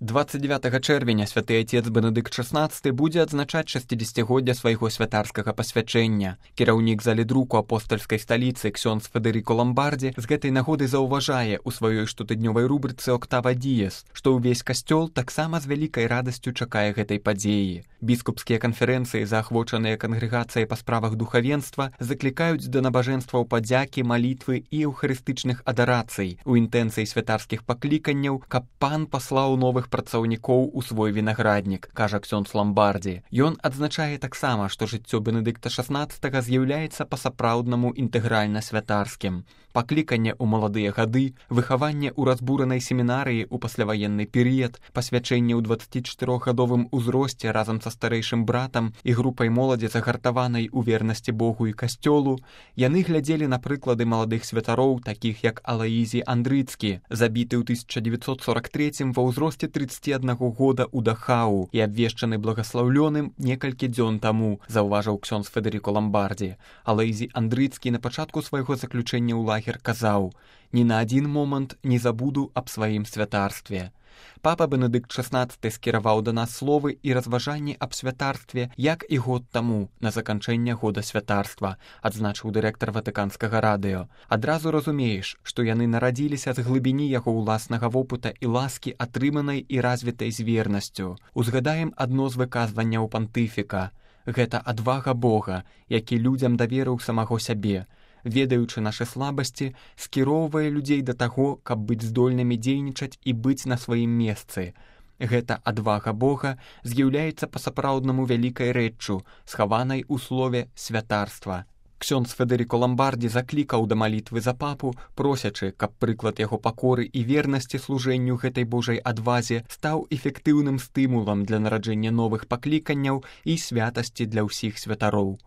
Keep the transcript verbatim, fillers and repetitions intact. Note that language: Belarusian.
двадцать девятага чэрвеня святы отец Бенедыкт шаснаццаты будзе адзначаць шасцідзесяцігоддзя свайго святарскага пасвячэння. Кіраўнік залі друку апостальскай сталіцы ксёндз Федэріко Ламбардзі з гэтай нагоды заўважае ў сваёй штотыднёвай рубрыцы «Октава Діес», што ўвесь касцёл таксама з вялікай радасцю чакае гэтай падзеі. Біскупскія канферэнцыі, заахвочаныя кангрэгацыяй па справах духавенства, заклікаюць да набажэнстваў падзякі, малітвы і эўхарыстычных адарацый у інтэнцыі святарскіх пакліканняў, каб пан паслаў новых працаўнікоў у свой вінаграднік, кажа ксёндз Ламбардзі. Ён адзначае таксама, што жыццё Бенедыкта шаснаццатага з'яўляецца па-сапраўднаму інтэгральна святарскім. Пакліканне ў маладыя гады, выхаванне ў разбуранай семінарыі ў пасляваенны перыяд, пасвячэнне ў дваццацічатырохгадовым узросце разам са старэйшым братам і групай моладзі загартаванай у вернасці Богу і касцёлу, яны глядзелі на прыклады маладых святароў, такіх як Алаізій Андрыцкі, забіты ў тысяча дзевяцьсот сорак трэцім ва ўзросце трыццаці аднаго года ў Дахау і абвешчаны благаслаўлёным некалькі дзён таму, заўважыў ксёндз Федэріко Ламбардзі. Алаізій Андрыцкі на пачатку свайго заключэння ў лагер казаў: «Ні на адзін момант не забуду аб сваім святарстве». Папа Бенедыкт шаснаццаты скіраваў да нас словы і разважанні аб святарстве, як і год таму, на заканчэнне года святарства, адзначыў дырэктар Ватыканскага радыё. Адразу разумееш, што яны нарадзіліся з глыбіні яго ўласнага вопыта і ласкі, атрыманай і развітай з вернасцю. Узгадаем адно з выказванняў пантыфіка. Гэта адвага Бога, які людзям даверыў самаго сябе, ведаючы нашы слабасці, скіроўвае людзей да таго, каб быць здольнымі дзейнічаць і быць на сваім месцы. Гэта адвага Бога з'яўляецца па-сапраўднаму вялікай рэччу, схаванай у слове «святарства». Ксёндз Федэріко Ламбардзі заклікаў да малітвы за папу, просячы, каб прыклад яго пакоры і вернасці служэнню гэтай Божай адвазе стаў эфектыўным стымулам для нараджэння новых пакліканняў і святасці для ўсіх святароў.